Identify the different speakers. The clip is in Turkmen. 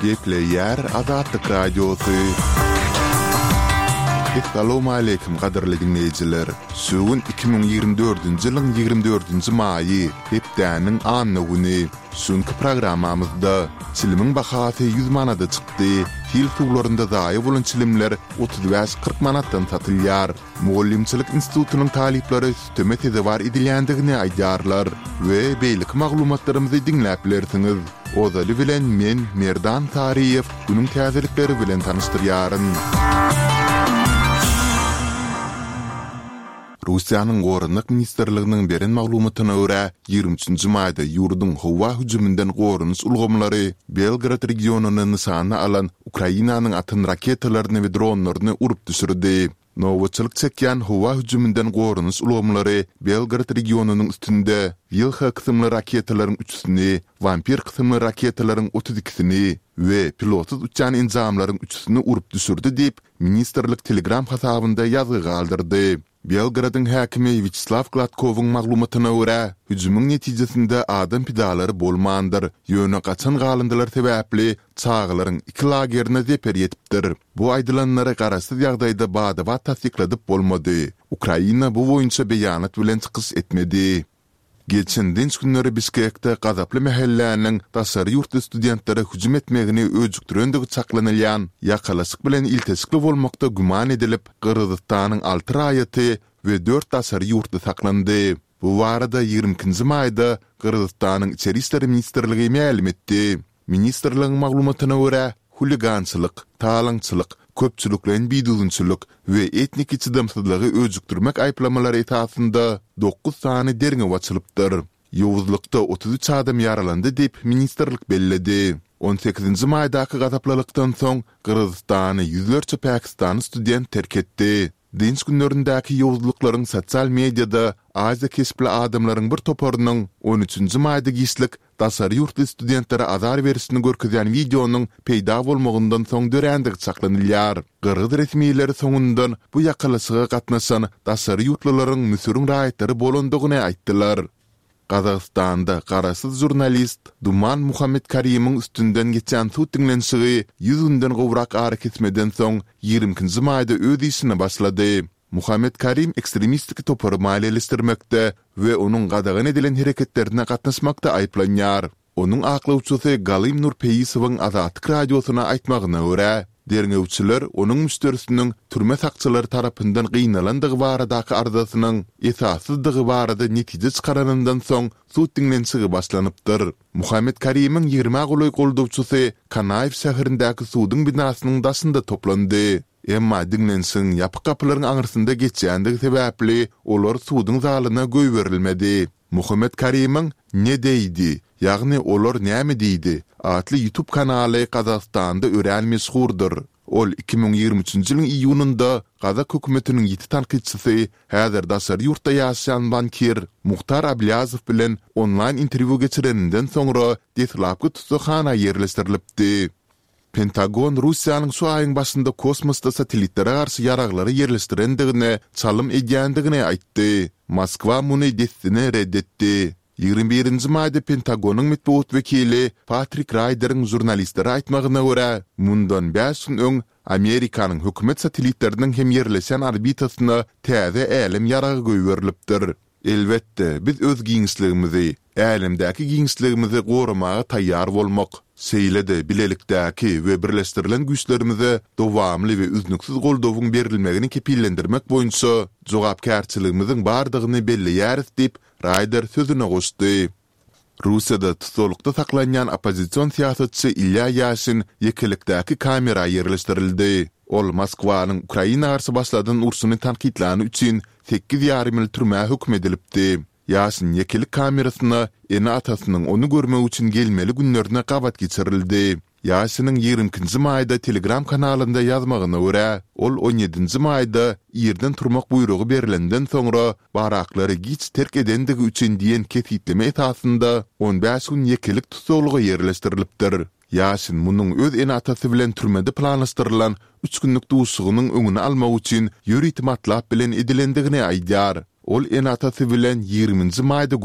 Speaker 1: Gepleýär Azatlyk Radiosy. Essalawmaleýkim gadyrly diňleýjiler! Şu gün 2024-nji ýylyň 24-nji maýy, hepdäniň anna güni. Şu günki programmamyzda, çilimiň bahasy 100 manada çykdy, sil suwlarynda zaýa bolan çilimler 35-40 manatdan satylýar. Mugallymçylyk institutynyň talyplary süteme sezewar edilýändigini aýdýarlar we beýleki maglumatlarymyzy diňläp bilersiňiz. Ozaly bilen men, Merdan Saryýew, günüň täzelikleri bilen tanyşdyrýaryn. Russiýanyň Goranmak ministrliginiň beren maglumatyna görä, 23-nji maýda ýurduň howa hüjüminden goranyş ulgamlary Belgorod regionyny nyşana alan Ukrainanyň atan raketalaryny we dronlaryny urup düşürdi. Nobatçylyk çekýän howa hüjüminden goranyş ulgamlary Belgorod regionynyň üstünde Wilha kysymly raketalaryň üçüsini, Wampir kysymly raketalaryň 32-sini we pilotsyz uçýan enjamlaryň üçüsini urup düşürdi diýip, ministrlik Telegram hasabynda ýazgy galdyrdy. Belgorodyň häkimi Wýaçeslaw Gladkowyň maglumatyna görä, hüjümiň netijesinde adam pidalary bolmandyr, ýöne gaçan galyndylar sebäpli çagalaryň iki lagerine zeper ýetipdir. Bu aýdylanlary garaşsyz ýagdaýda bada-bat tassykladyp bolmady. Ukraina bu boýunça beýanat bilen çykyş etmedi. Geçen dynç günleri Bişkekde gazaply mähelläniň daşary ýurtly studentlere hüjüm etmegini öjükdirendigi çaklanylýan ýakalaşyk bilen ilteşikli bolmakda güman edilip, Gyrgyzystanyň alty raýaty we dört daşary ýurtly saklandy. Bu barada 22-nji maýda Gyrgyzystanyň Içeri işler ministrligi mälim etdi. Ministrligiň maglumatyna görä, huligançylyk, talaňçylyk, köpçülikleýin bidüzgünçilik we etniki çydamsyzlygy öjükdirmek aýyplamalary esasynda dokuz sany derňew açylypdyr. Ýowuzlykda 33 adam ýaralandy diýip, ministrlik belledi. On sekizinji maýdaky gazaplylykdan soň Gyrgyzystany ýüzlerçe pakistanly student terk etdi. Dynç günlerindäki ýowuzlyklaryň sosial mediada aziýa keşpli adamlaryň bir toparynyň on üçünji maýda giçlik daşary ýurtly studentlere azar berişini görkezýän wideonyň peýda bolmagyndan soň dörändigi çaklanylýar. Gyrgyz resmileri soňundan bu ýakalaşyga gatnaşan daşary ýurtlularyň Müsüriň raýatlary bolandygyny aýtdylar. Gazagystanda garaşsyz žurnalist Duman Muhammetkarimiň üstünden geçýän sud diňlenişigi 100 günden gowrak arakesmeden soň 22-nji maýda öz işine başlady. Muhammetkarim ekstremistik topary maliýeleşdirmekde we onuň gadagan edilen hereketlerine gatnaşmakda aýyplanýar. Onuň aklawçysy Galym Nurpeýisowyň Azatlyk Radiosyna aýtmagyna görä, derňewçiler onuň müşderisiniň türme sakçylary tarapyndan gynalandygy baradaky arzasynyň esassyzdygy barada netije çykaranyndan soň sud diňlenişigi başlanypdyr. Muhammet Karimiň ýigrimä golaý goldawçysy Kanaýew şäherindäki suduň binasynyň daşynda toplandy. Emma diňlenişigiň ýapyk gapylaryň aňyrsynda geçýändigi sebäpli olar suduň zalyna goýberilmedi. Muhammet Karimiň Ne deýdi, ýagny Olar näme diýdi? atly YouTube kanaly Gazagystanda örän meşhurdyr. Ol 2023-nji ýylyň iýunynda gazak hökümetiniň ýiti tankytçysy, häzir daşary ýurtda ýaşaýan bankir Muhtar Ablýazow bilen onlaýn interwýu geçireninden soňra deslapky tussaghana ýerleşdirilipdi. Pentagon Russiýanyň şu aýyň başynda kosmosda satellitlere garşy ýaraglary ýerleşdirendigine çalym edýändigini aýtdy. Moskwa muny dessine ret etdi. 21-nji maýda Pentagonyň metbugat wekili Patrik Raýderiň žurnalistlere aýtmagyna görä, mundan bäş gün öň Amerikanyň hökümet satellitleriniň hem ýerleşýän orbitasyna täze älem ýaragy goýberilipdir. Elbetde, biz öz giňişligimizi, älemdäki giňişligimizi goramaga taýýar bolmak, şeýle-de bilelikdäki we birleşdirilen güýçlerimize dowamly we üznüksiz goldawyň berilmegini kepillendirmek boýunça jogapkärçiligimiziň bardygyny belleýäris diýip, Raýder sözüne goşdy. Russiýada tussaglykda saklanýan oppozision syýasatçy Ilýa Ýaşin ýekelikdäki kamera ýerleşdirildi. Ol Moskwanyň Ukraina garşy başladan urşuny tankytlany üçin sekiz ýarym ýyl türmä höküm edilipdi. Ýaşin ýekelik kamerasyna ene-atasynyň ony görmek üçin gelmeli günlerine gabat geçirildi. Ýaşiniň 22-nji maýda Telegram kanalynda ýazmagyna görä, ol on ýedinji maýda irden turmak buýrugy berlenden soňra baraklary giç terk edendigi üçin diýen kesgitleme esasynda on bäş gün ýekelik tussaglyga ýerleşdirilipdir. Ýaşin munuň öz ene-atasy bilen türmede planlaşdyrylan üç günlük duşuşygynyň öňüni almak üçin ýörite matlap bilen edilendigini aýdýar. Ol ene-atasy bilen ýigriminji maýda.